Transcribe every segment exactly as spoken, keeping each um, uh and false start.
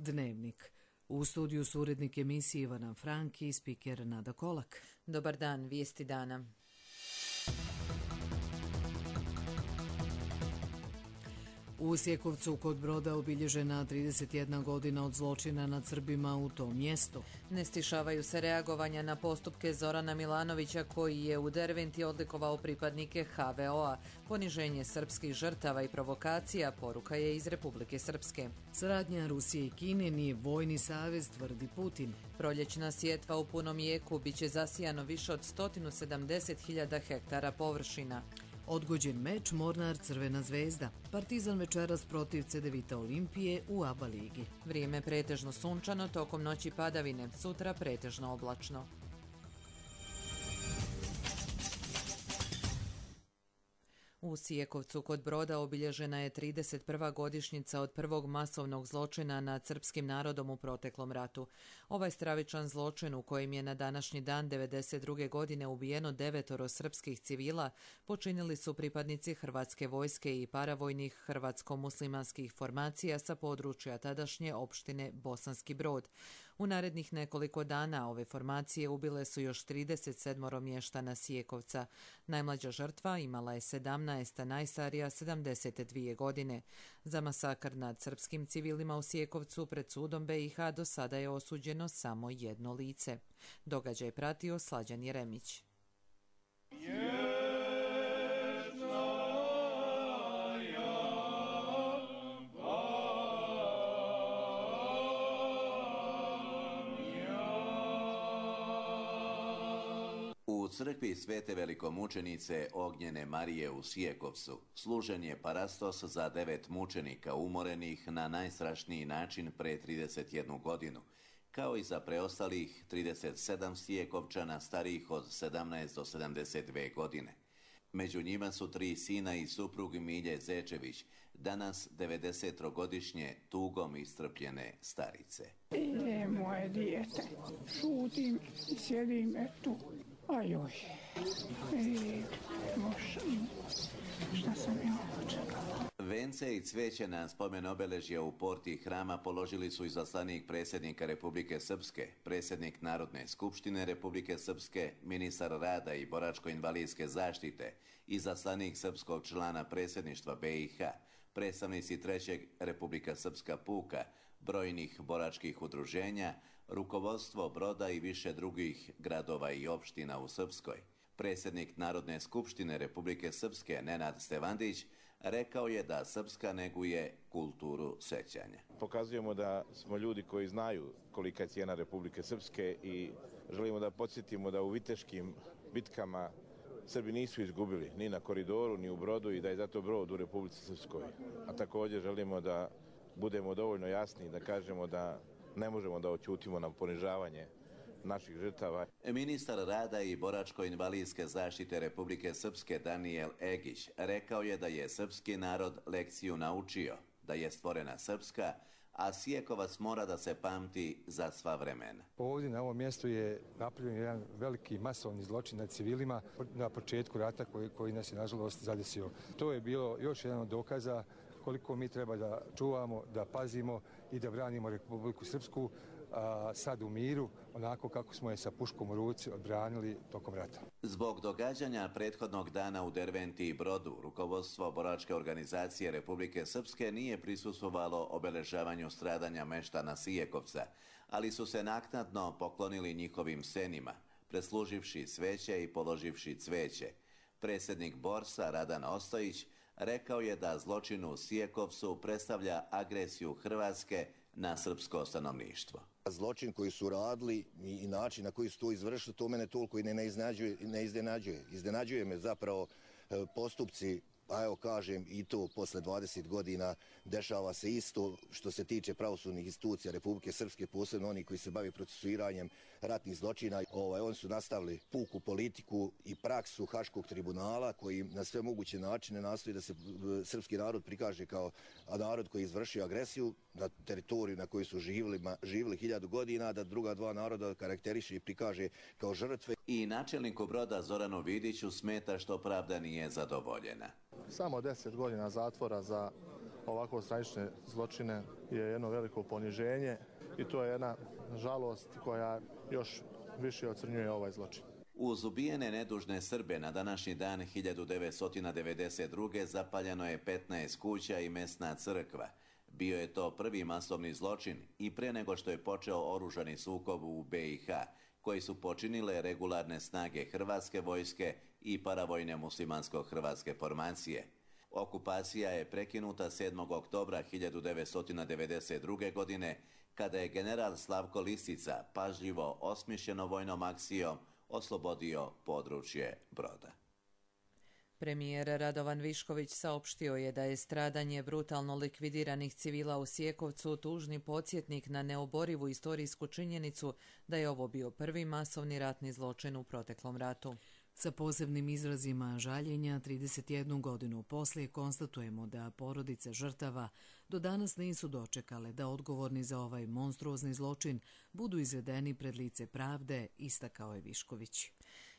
Dnevnik. U studiju su urednik emisije Ivana Franki i spiker Nada Kolak. Dobar dan, vijesti dana. U Sjekovcu kod Broda obilježena trideset jedna godina od zločina nad Srbima u tom mjestu. Ne stišavaju se reagovanja na postupke Zorana Milanovića koji je u Derventi odlikovao pripadnike ha ve o-a. Poniženje srpskih žrtava i provokacija poruka je iz Republike Srpske. Saradnja Rusije i Kine nije vojni savez, tvrdi Putin. Proljećna sjetva u punom jeku biće zasijano više od sto sedamdeset hiljada hektara površina. Odgođen meč Mornar Crvena zvezda. Partizan večeras protiv Cedevita Olimpije u a ba ligi. Vrijeme pretežno sunčano, tokom noći padavine, sutra pretežno oblačno. U Sjekovcu kod Broda obilježena je trideset prva godišnjica od prvog masovnog zločina nad srpskim narodom u proteklom ratu. Ovaj stravičan zločin u kojem je na današnji dan devedeset druge godine ubijeno devetoro srpskih civila počinili su pripadnici Hrvatske vojske i paravojnih hrvatsko-muslimanskih formacija sa područja tadašnje opštine Bosanski Brod. U narednih nekoliko dana ove formacije ubile su još trideset sedam mještana Sjekovca. Najmlađa žrtva imala je sedamnaest, a najstarija sedamdeset dvije godine. Za masakr nad srpskim civilima u Sjekovcu pred sudom be i ha do sada je osuđeno samo jedno lice. Događaj pratio Slađan Jeremić. U crkvi Svete velikomučenice Ognjene Marije u Sjekovcu služen je parastos za devet mučenika umorenih na najstrašniji način pre trideset jednu godinu, kao i za preostalih trideset sedam Sjekovčana starijih od sedamnaest do sedamdeset dve godine. Među njima su tri sina i suprug Milje Zečević, danas devedesetogodišnje tugom iscrpljene starice. Je moje dijete, šutim i sjedim etu. Ajoj, e, moš, šta sam ja očekala. Vence i cveće na spomen obeležja u porti hrama položili su izaslanik predsjednika Republike Srpske, predsjednik Narodne skupštine Republike Srpske, ministar rada i boračko-invalidske zaštite, izaslanik srpskog člana predsjedništva be i ha, predstavnici trećeg Republika Srpska puka, brojnih boračkih udruženja, rukovodstvo Broda i više drugih gradova i opština u Srpskoj. Predsjednik Narodne skupštine Republike Srpske Nenad Stevandić rekao je da Srpska neguje kulturu sećanja. Pokazujemo da smo ljudi koji znaju kolika je cijena Republike Srpske i želimo da podsjetimo da u viteškim bitkama Srbi nisu izgubili ni na Koridoru, ni u Brodu i da je zato Brod u Republici Srpskoj. A također želimo da budemo dovoljno jasni da kažemo da ne možemo da oćutimo na ponižavanje naših žrtava. Ministar rada i boračko-invalidske zaštite Republike Srpske Danijel Egić rekao je da je srpski narod lekciju naučio, da je stvorena Srpska, a Sjekovac mora da se pamti za sva vremena. Ovdje na ovom mjestu je napravljen jedan veliki masovni zločin nad civilima na početku rata koji, koji nas je nažalost zadesio. To je bilo još jedan od dokaza koliko mi treba da čuvamo, da pazimo i da branimo Republiku Srpsku, a sad u miru, onako kako smo je sa puškom u ruci odbranili tokom rata. Zbog događanja prethodnog dana u Derventi i Brodu, rukovodstvo boračke organizacije Republike Srpske nije prisustvovalo obeležavanju stradanja meštana Sjekovca, ali su se naknadno poklonili njihovim senima, presluživši sveće i položivši cveće. Predsjednik Borsa Radan Ostojić rekao je da zločin u Sjekovcu predstavlja agresiju Hrvatske na srpsko stanovništvo. Zločin koji su radili i način na koji su to izvršili, to mene toliko i ne, ne, iznenađuje, ne iznenađuje. Iznenađuje me zapravo postupci, a evo kažem i to posle dvadeset godina dešava se isto što se tiče pravosudnih institucija Republike Srpske, posebno oni koji se bave procesuiranjem ratnih zločina. Ovaj, oni su nastavili puku politiku i praksu Haškog tribunala koji na sve moguće načine nastoji da se srpski narod prikaže kao narod koji je izvršio agresiju na teritoriju na kojoj su živjeli, živjeli hiljadu godina, da druga dva naroda karakteriše i prikaže kao žrtve. I načelniku Broda Zoranu Vidiću smeta što pravda nije zadovoljena. Samo deset godina zatvora za ovako stravične zločine je jedno veliko poniženje i to je jedna žalost koja još više ocrnjuje ovaj zločin. Uz ubijene nedužne Srbe na današnji dan hiljadu devetsto devedeset druge zapaljeno je petnaest kuća i mesna crkva. Bio je to prvi masovni zločin i pre nego što je počeo oružani sukob u be i ha, koji su počinile regularne snage Hrvatske vojske i paravojne muslimansko-hrvatske formacije. Okupacija je prekinuta sedmog oktobra hiljadu devetsto devedeset druge. godine, kada je general Slavko Lisica pažljivo osmišljeno vojnom akcijom oslobodio područje Broda. Premijer Radovan Višković saopštio je da je stradanje brutalno likvidiranih civila u Sjekovcu tužni podsjetnik na neoborivu istorijsku činjenicu da je ovo bio prvi masovni ratni zločin u proteklom ratu. Sa posebnim izrazima žaljenja, trideset jednu godinu poslije konstatujemo da porodice žrtava do danas nisu dočekale da odgovorni za ovaj monstruozni zločin budu izvedeni pred lice pravde, istakao je Višković.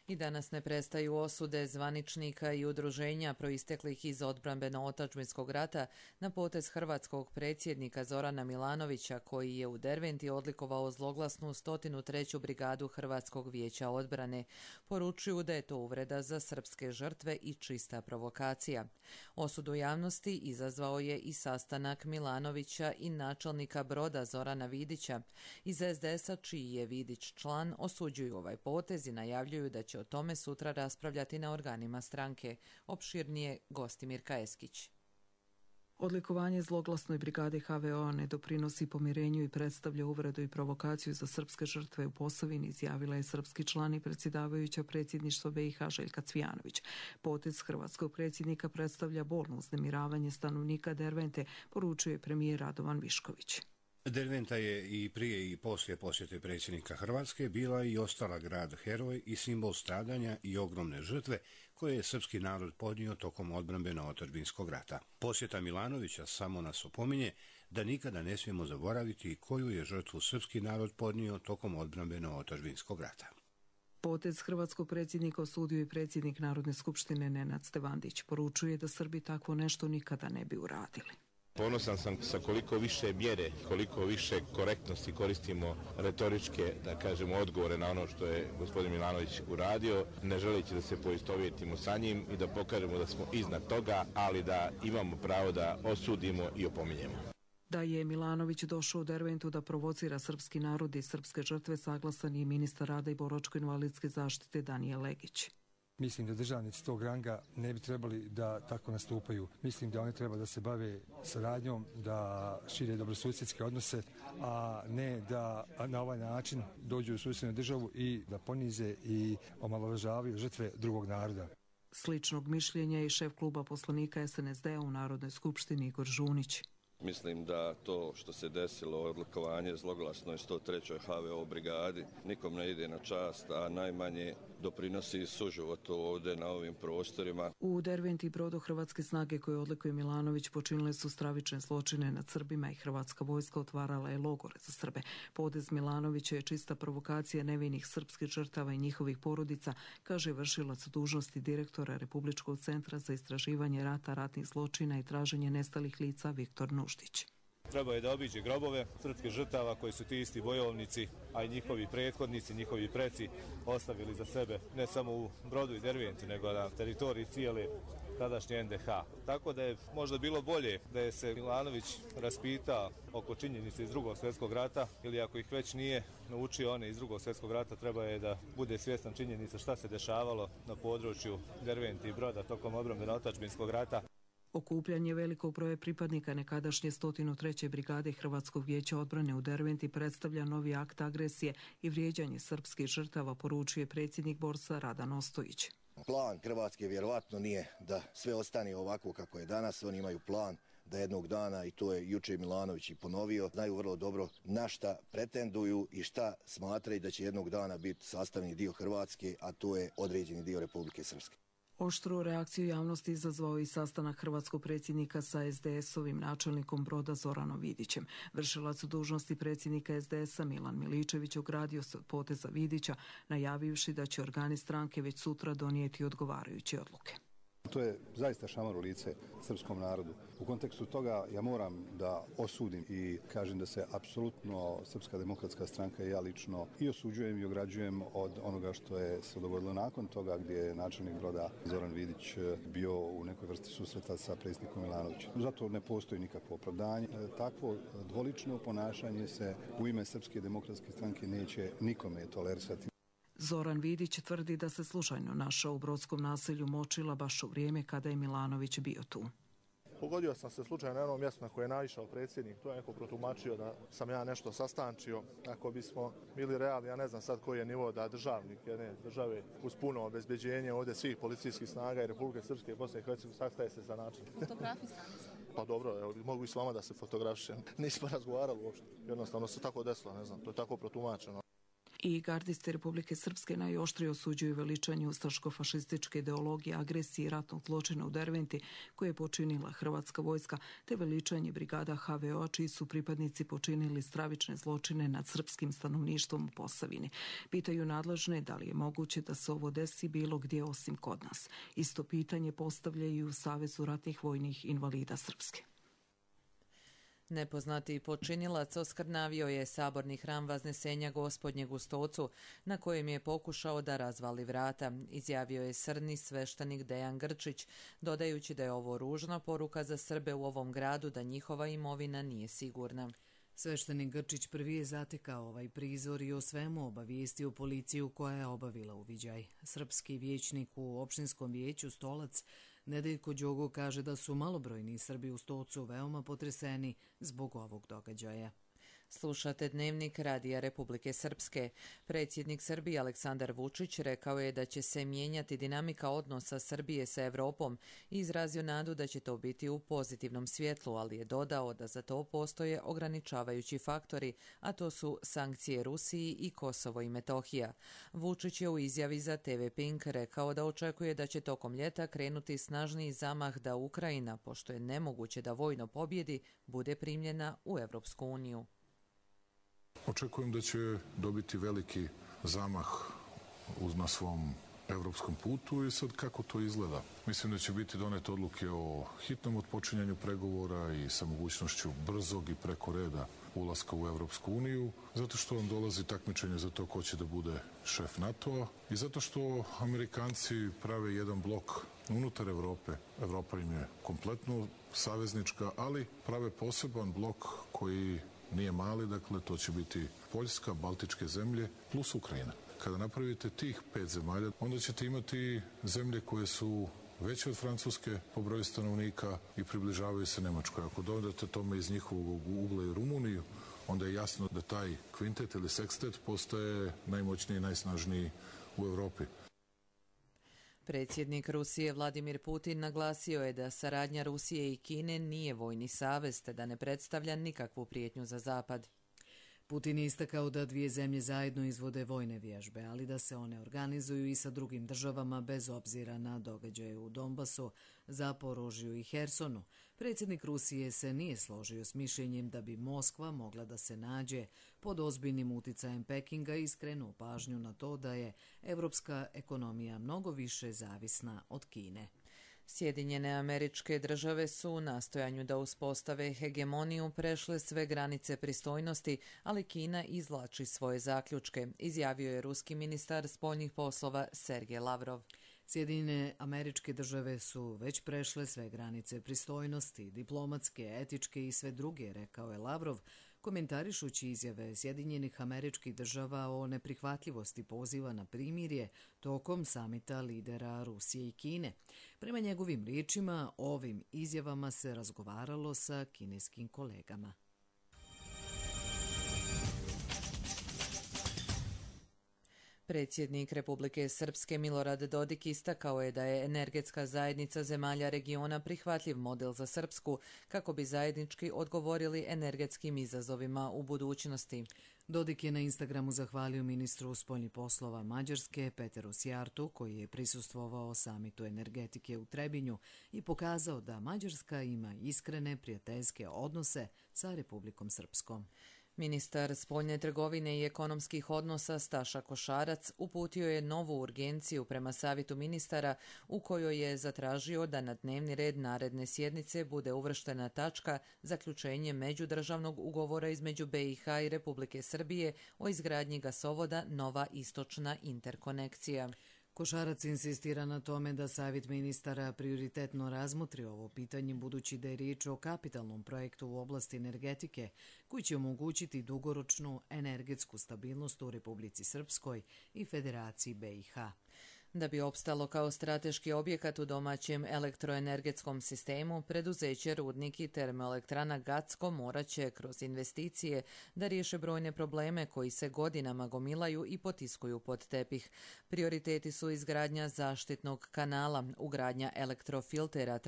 I danas ne prestaju osude zvaničnika i udruženja proisteklih iz odbrambeno-otadžbinskog rata na potez hrvatskog predsjednika Zorana Milanovića, koji je u Derventi odlikovao zloglasnu sto treću brigadu Hrvatskog vijeća odbrane. Poručuju da je to uvreda za srpske žrtve i čista provokacija. Osudu javnosti izazvao je i sastanak Milanovića i načelnika Broda Zorana Vidića. Iz es de es a, čiji je Vidić član, osuđuju ovaj potez i najavljuju da će o tome sutra raspravljati na organima stranke. Opširnije Gostimir Kaeskić. Odlikovanje zloglasnoj brigadi ha ve o ne doprinosi pomirenju i predstavlja uvredu i provokaciju za srpske žrtve u Posavini, izjavila je srpski član i predsjedavajuća predsjedništva be i ha Željka Cvijanović. Potez hrvatskog predsjednika predstavlja bolno uznemiravanje stanovnika Dervente, poručuje premijer Radovan Višković. Derventa je i prije i poslije posjete predsjednika Hrvatske bila i ostala grad heroj i simbol stradanja i ogromne žrtve koje je srpski narod podnio tokom odbrambeno-otadžbinskog rata. Posjeta Milanovića samo nas opominje da nikada ne smijemo zaboraviti koju je žrtvu srpski narod podnio tokom odbrambeno-otadžbinskog rata. Potez hrvatskog predsjednika osudio i predsjednik Narodne skupštine Nenad Stevandić. Poručuje da Srbi takvo nešto nikada ne bi uradili. Ponosan sam sa koliko više mjere, koliko više korektnosti koristimo retoričke, da kažemo, odgovore na ono što je gospodin Milanović uradio, ne želeći da se poistovjetimo sa njim i da pokažemo da smo iznad toga, ali da imamo pravo da osudimo i opominjemo. Da je Milanović došao u Derventu da provocira srpski narod i srpske žrtve, saglasan je ministar rada i boračko-invalidske zaštite Danijel Legić. Mislim da državnici tog ranga ne bi trebali da tako nastupaju. Mislim da oni treba da se bave saradnjom, da šire dobrosusjedske odnose, a ne da na ovaj način dođu u susjednu državu i da ponize i omalovažavaju žrtve drugog naroda. Sličnog mišljenja i šef kluba poslanika es en es de a u Narodnoj skupštini Igor Žunić. Mislim da to što se desilo, odlikovanje zloglasnoj sto trećoj ha ve o brigadi, nikom ne ide na čast, a najmanje doprinosi suživotu ovdje na ovim prostorima. U Derventi i Brodu hrvatske snage koje odlikuje Milanović počinile su stravične zločine nad Srbima i hrvatska vojska otvarala je logore za Srbe. Potez Milanovića je čista provokacija nevinih srpskih žrtava i njihovih porodica, kaže vršilac dužnosti direktora Republičkog centra za istraživanje rata, ratnih zločina i traženje nestalih lica Viktor Nuštić. Trebao je da obiđe grobove srpskih žrtava koji su ti isti bojovnici, a i njihovi prethodnici, njihovi preci ostavili za sebe ne samo u Brodu i Derventi, nego na teritoriji cijele tadašnje en de ha. Tako da je možda bilo bolje da je se Milanović raspitao oko činjenice iz drugog svjetskog rata, ili ako ih već nije naučio one iz drugog svjetskog rata, treba je da bude svjestan činjenica šta se dešavalo na području Derventi i Broda tokom odbrambeno-otadžbinskog rata. Okupljanje velikog broja pripadnika nekadašnje sto treće brigade Hrvatskog vijeća odbrane u Derventi predstavlja novi akt agresije i vrijeđanje srpskih žrtava, poručuje predsjednik borsa Radan Ostojić. Plan Hrvatske vjerovatno nije da sve ostane ovako kako je danas. Oni imaju plan da jednog dana, i to je juče Milanović i ponovio, znaju vrlo dobro na šta pretenduju i šta smatraju da će jednog dana biti sastavni dio Hrvatske, a to je određeni dio Republike Srpske. Oštru reakciju javnosti izazvao i sastanak hrvatskog predsjednika sa es de es-ovim načelnikom Broda Zoranom Vidićem. Vršilac dužnosti predsjednika es de es a Milan Miličević ogradio se od poteza Vidića, najavivši da će organi stranke već sutra donijeti odgovarajuće odluke. To je zaista šamar u lice srpskom narodu. U kontekstu toga ja moram da osudim i kažem da se apsolutno Srpska demokratska stranka i ja lično i osuđujem i ograđujem od onoga što je se dogodilo nakon toga, gdje je načelnik Broda Zoran Vidić bio u nekoj vrsti susreta sa predsjednikom Milanovićem. Zato ne postoji nikakvo opravdanje. Takvo dvolično ponašanje se u ime Srpske demokratske stranke neće nikome tolerisati. Zoran Vidić tvrdi da se slučajno našao u brodskom naselju Močila baš u vrijeme kada je Milanović bio tu. Pogodio sam se slučajno na jednom mjestu na koje je naišao predsjednik. To je neko protumačio da sam ja nešto sastančio. Ako bismo bili realni, ja ne znam sad koji je nivo da državnik jedne države uz puno obezbeđenje ovdje svih policijskih snaga i Republike Srpske i Bosne i Hercegovine sastaje se za način. Fotografisani ste? Pa dobro, evo, mogu i s vama da se fotografišem. Nismo razgovarali uopšte. Jednostavno se tako desilo, ne znam, to je tako protumačeno. I gardisti Republike Srpske najoštrije osuđuju veličanje ustaško-fašističke ideologije, agresije i ratnog zločina u Derventi koje je počinila hrvatska vojska, te veličanje brigada ha ve o-a čiji su pripadnici počinili stravične zločine nad srpskim stanovništvom u Posavini. Pitaju nadležne da li je moguće da se ovo desi bilo gdje osim kod nas. Isto pitanje postavljaju u Savezu ratnih vojnih invalida Srpske. Nepoznati počinilac oskrnavio je saborni hram Vaznesenja Gospodnjeg u Stocu, na kojem je pokušao da razvali vrata, izjavio je srni sveštenik Dejan Grčić, dodajući da je ovo ružna poruka za Srbe u ovom gradu da njihova imovina nije sigurna. Sveštenik Grčić prvi je zatekao ovaj prizor i o svemu obavijestio policiju koja je obavila uviđaj. Srpski vijećnik u opštinskom vijeću Stolac Nedeljko Đogo kaže da su malobrojni Srbi u Stocu veoma potreseni zbog ovog događaja. Slušate Dnevnik Radija Republike Srpske. Predsjednik Srbije Aleksandar Vučić rekao je da će se mijenjati dinamika odnosa Srbije sa Evropom i izrazio nadu da će to biti u pozitivnom svjetlu, ali je dodao da za to postoje ograničavajući faktori, a to su sankcije Rusiji i Kosovo i Metohija. Vučić je u izjavi za te ve Pink rekao da očekuje da će tokom ljeta krenuti snažniji zamah da Ukrajina, pošto je nemoguće da vojno pobjedi, bude primljena u Evropsku uniju. Očekujem da će dobiti veliki zamah na svom evropskom putu i sad kako to izgleda. Mislim da će biti donete odluke o hitnom otpočinjanju pregovora i sa mogućnošću brzog i preko reda ulaska u Evropsku uniju, zato što vam dolazi takmičenje za to ko će da bude šef NATO-a i zato što Amerikanci prave jedan blok unutar Evrope. Evropa im je kompletno saveznička, ali prave poseban blok koji nije mali, dakle to će biti Poljska, Baltičke zemlje plus Ukrajina. Kada napravite tih pet zemalja, onda ćete imati zemlje koje su veće od Francuske po broju stanovnika i približavaju se Nemačkoj. Ako dodate tome iz njihovog ugla i Rumuniju, onda je jasno da taj kvintet ili sekstet postaje najmoćniji i najsnažniji u Evropi. Predsjednik Rusije Vladimir Putin naglasio je da saradnja Rusije i Kine nije vojni savez, te da ne predstavlja nikakvu prijetnju za Zapad. Putin je istakao da dvije zemlje zajedno izvode vojne vježbe, ali da se one organizuju i sa drugim državama bez obzira na događaje u Donbasu, Zaporožju i Hersonu. Predsjednik Rusije se nije složio s mišljenjem da bi Moskva mogla da se nađe pod ozbiljnim uticajem Pekinga i skrenuo pažnju na to da je evropska ekonomija mnogo više zavisna od Kine. Sjedinjene Američke Države su u nastojanju da uspostave hegemoniju prešle sve granice pristojnosti, ali Kina izvlači svoje zaključke, izjavio je ruski ministar spoljnih poslova Sergej Lavrov. Sjedinjene Američke Države su već prešle sve granice pristojnosti, diplomatske, etičke i sve druge, rekao je Lavrov, komentarišući izjave Sjedinjenih Američkih Država o neprihvatljivosti poziva na primirje tokom samita lidera Rusije i Kine. Prema njegovim riječima, ovim izjavama se razgovaralo sa kineskim kolegama. Predsjednik Republike Srpske Milorad Dodik istakao je da je energetska zajednica zemalja regiona prihvatljiv model za Srpsku kako bi zajednički odgovorili energetskim izazovima u budućnosti. Dodik je na Instagramu zahvalio ministru spoljnih poslova Mađarske Peteru Sjartu, koji je prisustvovao samitu energetike u Trebinju i pokazao da Mađarska ima iskrene prijateljske odnose sa Republikom Srpskom. Ministar spoljne trgovine i ekonomskih odnosa Staša Košarac uputio je novu urgenciju prema Savjetu ministara u kojoj je zatražio da na dnevni red naredne sjednice bude uvrštena tačka zaključenje međudržavnog ugovora između be i ha i Republike Srbije o izgradnji gasovoda Nova istočna interkonekcija. Košarac insistira na tome da Savjet ministara prioritetno razmotri ovo pitanje budući da je riječ o kapitalnom projektu u oblasti energetike koji će omogućiti dugoročnu energetsku stabilnost u Republici Srpskoj i Federaciji be i ha. Da bi opstalo kao strateški objekat u domaćem elektroenergetskom sistemu, preduzeće Rudnik i termoelektrana Gacko morat će kroz investicije da riješe brojne probleme koji se godinama gomilaju i potiskuju pod tepih. Prioriteti su izgradnja zaštitnog kanala, ugradnja elektrofiltera,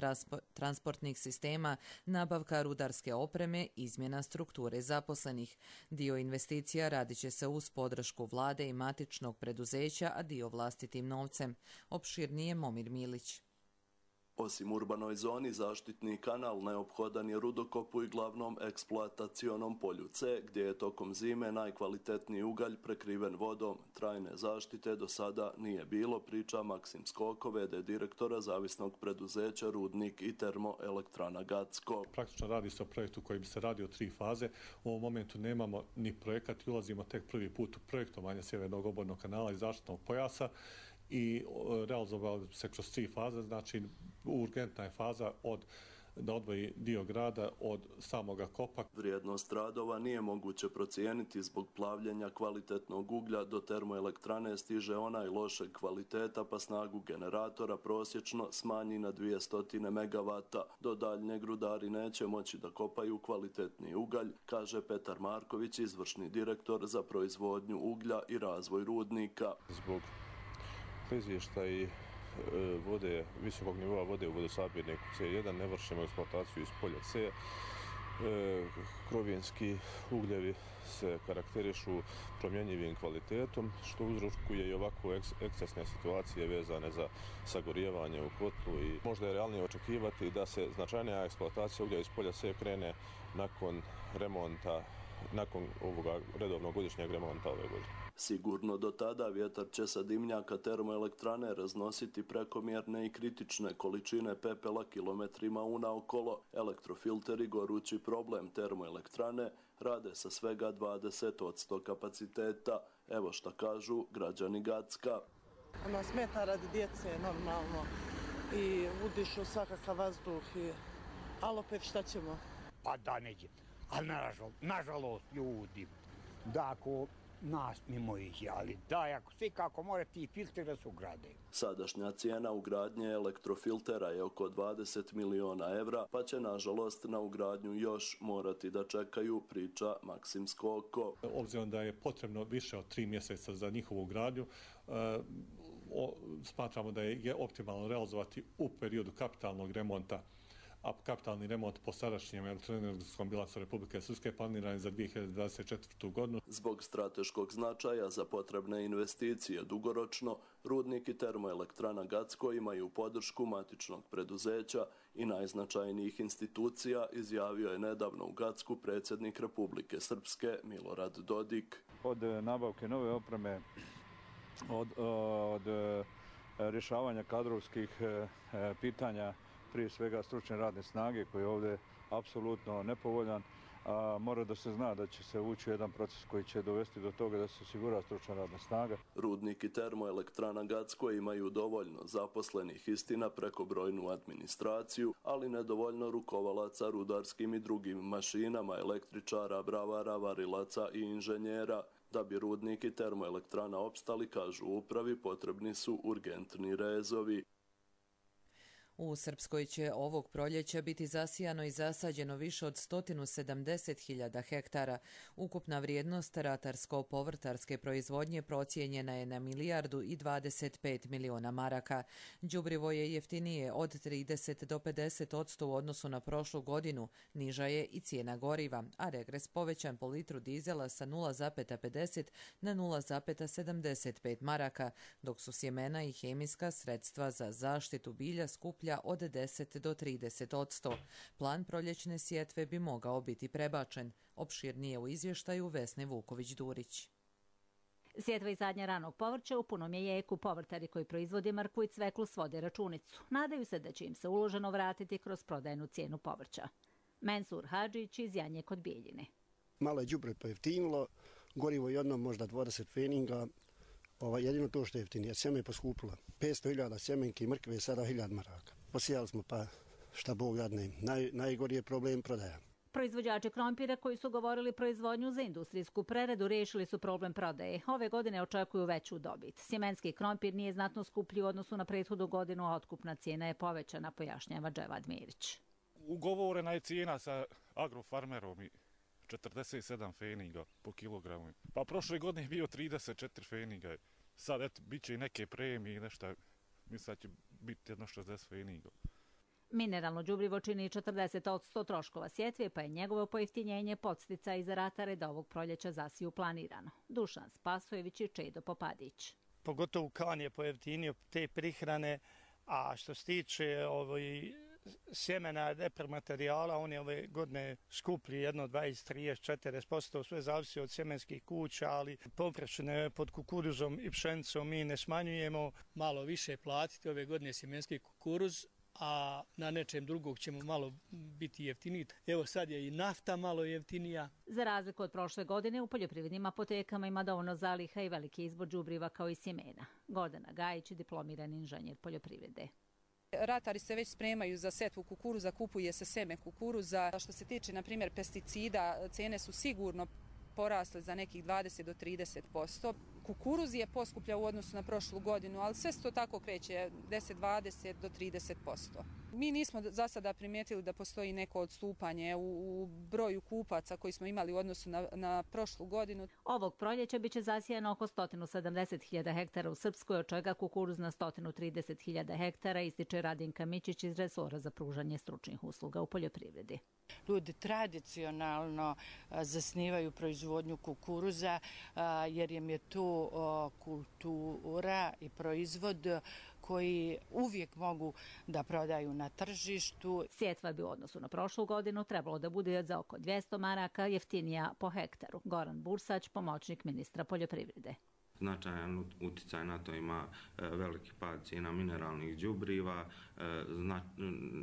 transportnih sistema, nabavka rudarske opreme, izmjena strukture zaposlenih. Dio investicija radit će se uz podršku vlade i matičnog preduzeća, a dio vlastitim novcem. Opširnije Momir Milić. Osim urbanoj zoni, zaštitni kanal neophodan je rudokopu i glavnom eksploatacionom polju C, gdje je tokom zime najkvalitetniji ugalj prekriven vodom. Trajne zaštite do sada nije bilo, priča Maksim Skoko, ve de direktora zavisnog preduzeća Rudnik i termoelektrana Gacko. Praktično radi se o projektu koji bi se radio tri faze. U ovom momentu nemamo ni projekat i ulazimo tek prvi put u projektovanje sjevernog obalnog kanala i zaštitnog pojasa i realizovali se kroz tri faze, znači urgentna je faza od da odvoji dio grada od samoga kopa. Vrijednost radova nije moguće procijeniti zbog plavljenja kvalitetnog uglja. Do termoelektrane stiže onaj lošeg kvaliteta pa snagu generatora prosječno smanji na dvjesto megavata. Do daljnjeg rudari neće moći da kopaju kvalitetni ugalj, kaže Petar Marković, izvršni direktor za proizvodnju uglja i razvoj rudnika. Zbog izvještaj vode, visokog nivoa vode u vodosabirniku ce jedan ne vršimo eksploataciju iz polja C. Krovinski ugljevi se karakterišu promjenjivim kvalitetom, što uzrokuje i ovako ekscesne situacije vezane za sagorijevanje u kotlu i možda je realnije očekivati da se značajnija eksploatacija uglja iz polja C krene nakon remonta, nakon ovoga redovnog godišnjeg remonta ove godine. Sigurno do tada vjetar će sa dimnjaka termoelektrane raznositi prekomjerne i kritične količine pepela kilometrima unaokolo. Elektrofilteri, gorući problem termoelektrane, rade sa svega dvadeset posto kapaciteta. Evo šta kažu građani Gacka. Ono smeta radi djece normalno i udišu svakakav vazduh, i... ali opet šta ćemo? Pa da neće, ali nažalost, nažalost ljudi, da ako nas mimo ih, ali da, ako svi kako mora ti filtera su ugrade. Sadašnja cijena ugradnje elektrofiltera je oko dvadeset miliona evra, pa će nažalost na ugradnju još morati da čekaju, priča Maksim Skoko. Obzirom da je potrebno više od tri mjeseca za njihovu ugradnju, e, o, smatramo da je optimalno realizovati u periodu kapitalnog remonta, a kapitalni remont po sadašnjem elektroenergetskom bilansu Republike Srpske planiran je za dvije hiljade dvadeset četvrtu. godinu. Zbog strateškog značaja za potrebne investicije dugoročno, Rudnik i termoelektrana Gacko imaju podršku matičnog preduzeća i najznačajnijih institucija, izjavio je nedavno u Gacku predsjednik Republike Srpske Milorad Dodik. Od nabavke nove opreme, od, od rješavanja kadrovskih pitanja, prije svega stručne radne snage koji je ovdje apsolutno nepovoljan, a mora da se zna da će se ući u jedan proces koji će dovesti do toga da se osigura stručna radna snaga. Rudnik i termoelektrana Gacko imaju dovoljno zaposlenih, istina preko brojnu administraciju, ali nedovoljno rukovalaca rudarskim i drugim mašinama, električara, bravara, varilaca i inženjera. Da bi Rudnik i termoelektrana opstali, kažu u upravi, potrebni su urgentni rezovi. U Srpskoj će ovog proljeća biti zasijano i zasađeno više od sto sedamdeset hiljada hektara. Ukupna vrijednost ratarsko-povrtarske proizvodnje procijenjena je na milijardu i dvadeset pet miliona maraka. Đubrivo je jeftinije od trideset do pedeset odsto u odnosu na prošlu godinu. Niža je i cijena goriva, a regres povećan po litru dizela sa nula zarez pedeset na nula zarez sedamdeset pet maraka, dok su sjemena i hemijska sredstva za zaštitu bilja skuplja uglja od deset do trideset odsto. Plan proljećne sjetve bi mogao biti prebačen. Opširnije u izvještaju Vesne Vuković-Durić. Sjetva i sadnja ranog povrća u punom je jeku. Povrtari koji proizvode mrkvu i cveklu svode računicu. Nadaju se da će im se uloženo vratiti kroz prodajnu cijenu povrća. Mensur Hadžić iz Janje kod Bijeljine. Malo je đubre pojeftinilo, gorivo jedno možda dvadeset feninga, ovaj, jedino to što je jeftinije. Sjeme je poskupilo. petsto hiljada sjemenki mrkve je sada hiljad maraka. Posijali smo pa šta Bog dadne. Naj, najgori je problem prodaja. Proizvođači krompira koji su govorili proizvodnju za industrijsku preradu riješili su problem prodaje. Ove godine očekuju veću dobit. Sjemenski krompir nije znatno skuplji u odnosu na prethodnu godinu, a otkupna cijena je povećana, pojašnjava Dževad Mirić. Ugovorena je cijena sa agrofarmerom i četrdeset sedam feninga po kilogramu. Pa prošle godine je bio trideset četiri feninga. Sad eto, bit će i neke premije i nešto. Mislim da će biti jedno šezdeset feninga. Mineralno đubrivo čini četrdeset odsto troškova sjetve, pa je njegovo pojeftinjenje podsticaj za ratare da ovog proljeća zasiju planirano. Dušan Spasojević i Čedo Popadić. Pogotovo kan je pojeftinio te prihrane, a što se tiče ovoj sjemena repromaterijala, on je ove godine skuplji jedno dvadeset, trideset, četrdeset posto, sve zavisi od sjemenskih kuća, ali površine pod kukuruzom i pšenicom mi ne smanjujemo. Malo više platiti ove godine sjemenski kukuruz, a na nečem drugog ćemo malo biti jeftiniji. Evo sad je i nafta malo jeftinija. Za razliku od prošle godine, u poljoprivrednim apotekama ima dovoljno zaliha i veliki izbor đubriva kao i sjemena. Gordana Gajić, diplomirani inženjer poljoprivrede. Ratari se već spremaju za setvu kukuruza, kupuje se seme kukuruza. Što se tiče, na primjer, pesticida, cene su sigurno porasle za nekih dvadeset do trideset posto. Kukuruz je poskuplja u odnosu na prošlu godinu, ali sve se to tako kreće deset, dvadeset do trideset posto. Mi nismo za sada primijetili da postoji neko odstupanje u, u broju kupaca koji smo imali u odnosu na, na prošlu godinu. Ovog proljeća biće zasijano oko sto sedamdeset hiljada hektara u Srpskoj, od čega kukuruz na sto trideset hiljada hektara, ističe Radinka Mićić iz resora za pružanje stručnih usluga u poljoprivredi. Ljudi tradicionalno zasnivaju proizvodnju kukuruza jer im je to kultura i proizvod koji uvijek mogu da prodaju na tržištu. Sjetva bi u odnosu na prošlu godinu trebalo da bude za oko dvjesto maraka jeftinija po hektaru. Goran Bursać, pomoćnik ministra poljoprivrede. Značajan uticaj na to ima veliki pad cijena mineralnih đubriva,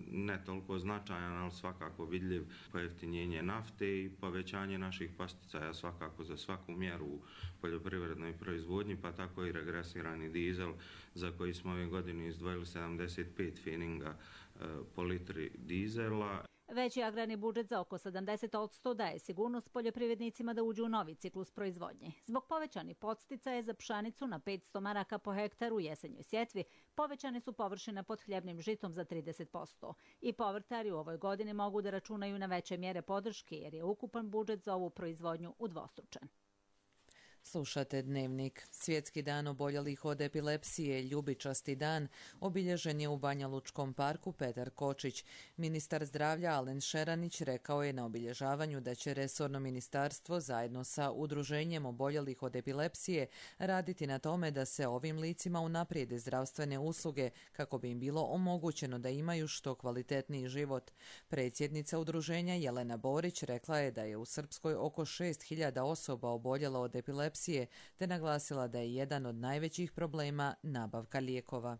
ne toliko značajan, ali svakako vidljiv pojeftinjenje nafte i povećanje naših posticaja svakako za svaku mjeru u poljoprivrednoj proizvodnji, pa tako i regresirani dizel za koji smo ove godine izdvojili sedamdeset pet feninga po litri dizela. Veći agrarni budžet za oko sedamdeset odsto daje sigurnost poljoprivrednicima da uđu u novi ciklus proizvodnje. Zbog povećanih podsticaja za pšenicu na petsto maraka po hektaru u jesenjoj sjetvi, povećane su površine pod hljebnim žitom za trideset posto. I povrtari u ovoj godini mogu da računaju na veće mjere podrške jer je ukupan budžet za ovu proizvodnju udvostručen. Slušate Dnevnik. Svjetski dan oboljelih od epilepsije, ljubičasti dan, obilježen je u Banja Lučkom parku Petar Kočić. Ministar zdravlja Alen Šeranić rekao je na obilježavanju da će resorno ministarstvo zajedno sa udruženjem oboljelih od epilepsije raditi na tome da se ovim licima unaprijede zdravstvene usluge kako bi im bilo omogućeno da imaju što kvalitetniji život. Predsjednica udruženja Jelena Borić rekla je da je u Srpskoj oko šest hiljada osoba oboljelo od epilepsije, te naglasila da je jedan od najvećih problema nabavka lijekova.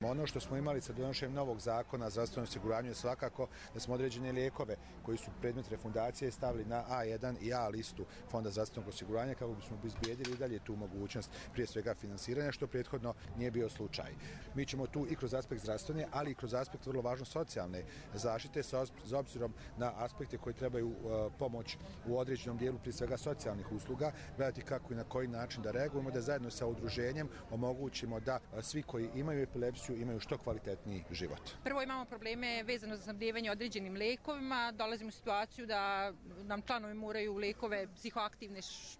Ono što smo imali sa donošenjem novog zakona o zdravstvenom osiguranju je svakako da smo određene lijekove koji su predmet refundacije stavili na A jedan i A listu Fonda zdravstvenog osiguranja kako bismo obezbijedili i dalje tu mogućnost prije svega finansiranja, što prethodno nije bio slučaj. Mi ćemo tu i kroz aspekt zdravstvene, ali i kroz aspekt vrlo važno socijalne zaštite sa obzirom na aspekte koji trebaju uh, pomoć u određenom dijelu prije svega socijalnih usluga, gledati kako i na koji način da reagujemo, da zajedno sa udruženjem omogućimo da uh, svi koji imaju epilepsiju imaju što kvalitetniji život. Prvo imamo probleme vezano za snabdijevanje određenim lekovima. Dolazimo u situaciju da nam članovi moraju lekove psihoaktivne,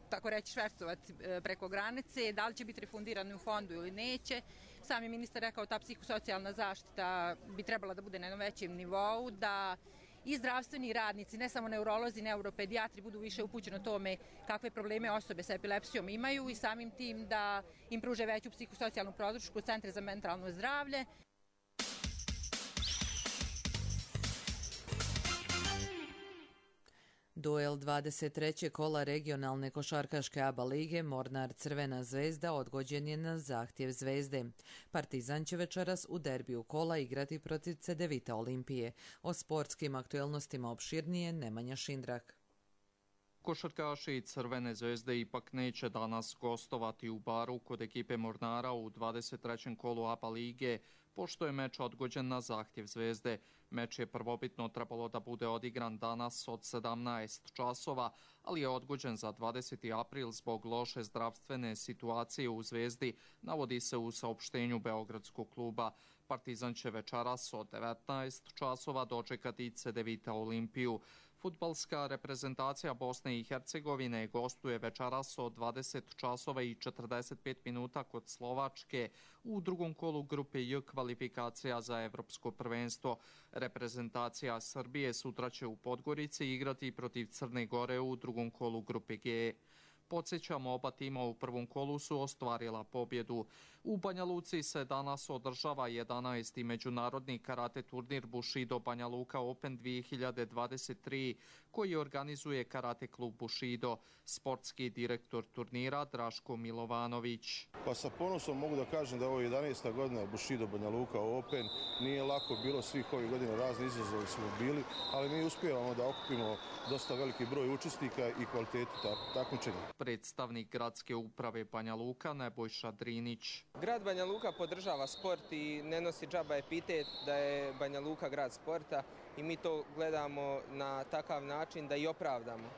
tako reći, švercovati preko granice. Da li će biti refundirani u fondu ili neće. Sam je ministar rekao ta psihosocijalna zaštita bi trebala da bude na jednom većem nivou, da i zdravstveni radnici, ne samo neurolozi, neuropedijatri, budu više upućeni o tome kakve probleme osobe sa epilepsijom imaju i samim tim da im pruže veću psihosocijalnu podršku Centra za mentalno zdravlje. Duel dvadeset trećeg kola regionalne košarkaške A B A lige Mornar Crvena zvezda odgođen je na zahtjev Zvezde. Partizan će večeras u derbiju kola igrati protiv Cedevita Olimpije. O sportskim aktuelnostima opširnije Nemanja Šindrak. Košarkaši Crvene zvezde ipak neće danas gostovati u Baru kod ekipe Mornara u dvadeset trećem kolu A B A lige, pošto je meč odgođen na zahtjev Zvezde. Meč je prvobitno trebalo da bude odigran danas od sedamnaest časova, ali je odgođen za dvadeseti april zbog loše zdravstvene situacije u Zvezdi, navodi se u saopštenju Beogradskog kluba. Partizan će večeras od devetnaest časova dočekati Cedevita Olimpiju. Fudbalska reprezentacija Bosne i Hercegovine gostuje večeras od dvadeset časova i četrdeset pet minuta kod Slovačke u drugom kolu grupe J kvalifikacija za evropsko prvenstvo. Reprezentacija Srbije sutra će u Podgorici igrati protiv Crne Gore u drugom kolu grupe G. Podsjećamo, oba tima u prvom kolu su ostvarila pobjedu. U Banja Luci se danas održava jedanaesti međunarodni karate turnir Bushido Banja Luka Open dvije hiljade dvadeset tri, koji organizuje karate klub Bushido. Sportski direktor turnira Draško Milovanović. Pa sa ponosom mogu da kažem da je ovo jedanaesta godina Bushido Banja Luka Open. Nije lako bilo svih ovih godina, razni izazovi smo bili, ali mi uspijevamo da okupimo dosta veliki broj učesnika i kvalitetu takmičenja. Predstavnik gradske uprave Banja Luka Nebojša Drinić. Grad Banja Luka podržava sport i ne nosi džaba epitet da je Banja Luka grad sporta i mi to gledamo na takav način da i opravdamo.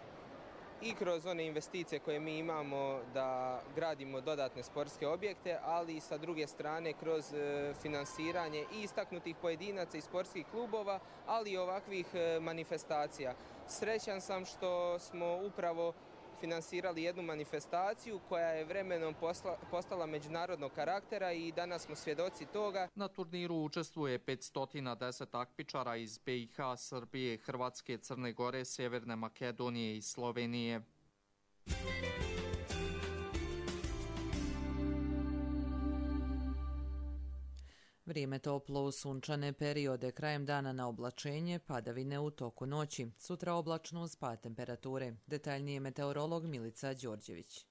I kroz one investicije koje mi imamo da gradimo dodatne sportske objekte, ali i sa druge strane kroz finansiranje i istaknutih pojedinaca i sportskih klubova, ali i ovakvih manifestacija. Srećan sam što smo upravo finansirali jednu manifestaciju koja je vremenom posla, postala međunarodnog karaktera i danas smo svjedoci toga. Na turniru učestvuje petsto deset takmičara iz B i H, Srbije, Hrvatske, Crne Gore, Sjeverne Makedonije i Slovenije. Vrijeme toplo u sunčane periode, krajem dana na oblačenje, padavine u toku noći. Sutra oblačno uz pad temperature. Detaljnije meteorolog Milica Đorđević.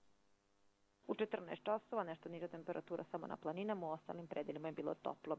U četrnaest časova nešto niža temperatura samo na planinama, u ostalim predelima je bilo toplo.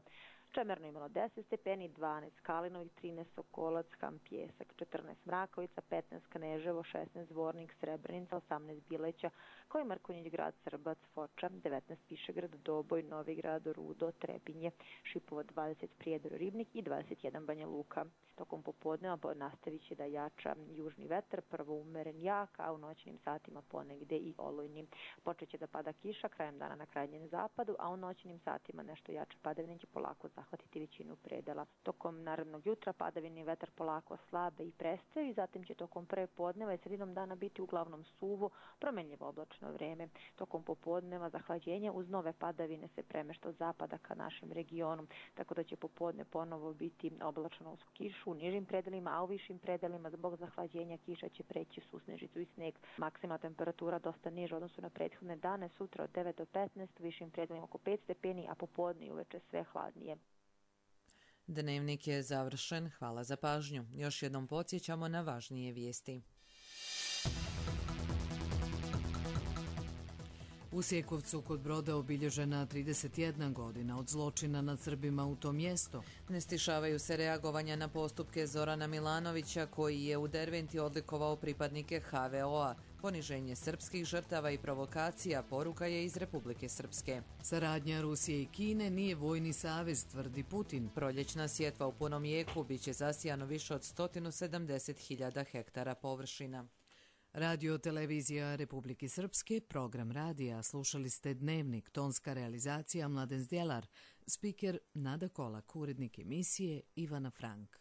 Čemerno imalo deset stepeni, dvanaest Kalinovih, trinaest Sokolac, Ham Pjesak, četrnaest Mrakovica, petnaest Kneževo, šesnaest Zvornik, Srebrenica, osamnaest Bileća, kao i Mrkonjić grad, Srbac, Foča, devetnaest Višegrad, Doboj, Novigrad, Rudo, Trebinje, Šipovo, dvadeset Prijedor, Ribnik i dvadeset jedan Banja Luka. Tokom popodneva nastavit će da jača južni vetar, prvo umeren jak, a u noćnim satima ponegde i olujni. Počeće da pada kiša krajem dana na krajnjem zapadu, a u noćnim satima nešto jače padavine će polako zahvatiti većinu predela. Tokom narednog jutra padavini vetar polako slabe i prestaju i zatim će tokom pre podneva i sredinom dana biti uglavnom suvo, promenljivo oblačno vreme. Tokom popodneva zahlađenja uz nove padavine se premešta od zapada ka našem regionu, tako da će popodne ponovo biti oblačno uz kišu u nižim predelima, a u višim predelima zbog zahlađenja kiša će preći susnežicu i sneg. Maksimalna temperatura dosta niža odnosu na prethodne dane, sutra od devet do petnaest, u višim predelima oko pet stepeni, a popodne i uveče sve hladnije. Dnevnik je završen, hvala za pažnju. Još jednom podsjećamo na važnije vijesti. U Sjekovcu kod Broda obilježena trideset jedna godina od zločina nad Srbima u to mjesto. Ne stišavaju se reagovanja na postupke Zorana Milanovića, koji je u Derventi odlikovao pripadnike H V O-a. Poniženje srpskih žrtava i provokacija poruka je iz Republike Srpske. Saradnja Rusije i Kine nije vojni savez, tvrdi Putin. Proljećna sjetva u punom jeku biće zasijano više od sto sedamdeset hiljada hektara površina. Radio televizija Republike Srpske, program radija, slušali ste Dnevnik, tonska realizacija Mladen Zdjelar, spiker Nada Kolak, urednik emisije Ivana Frank.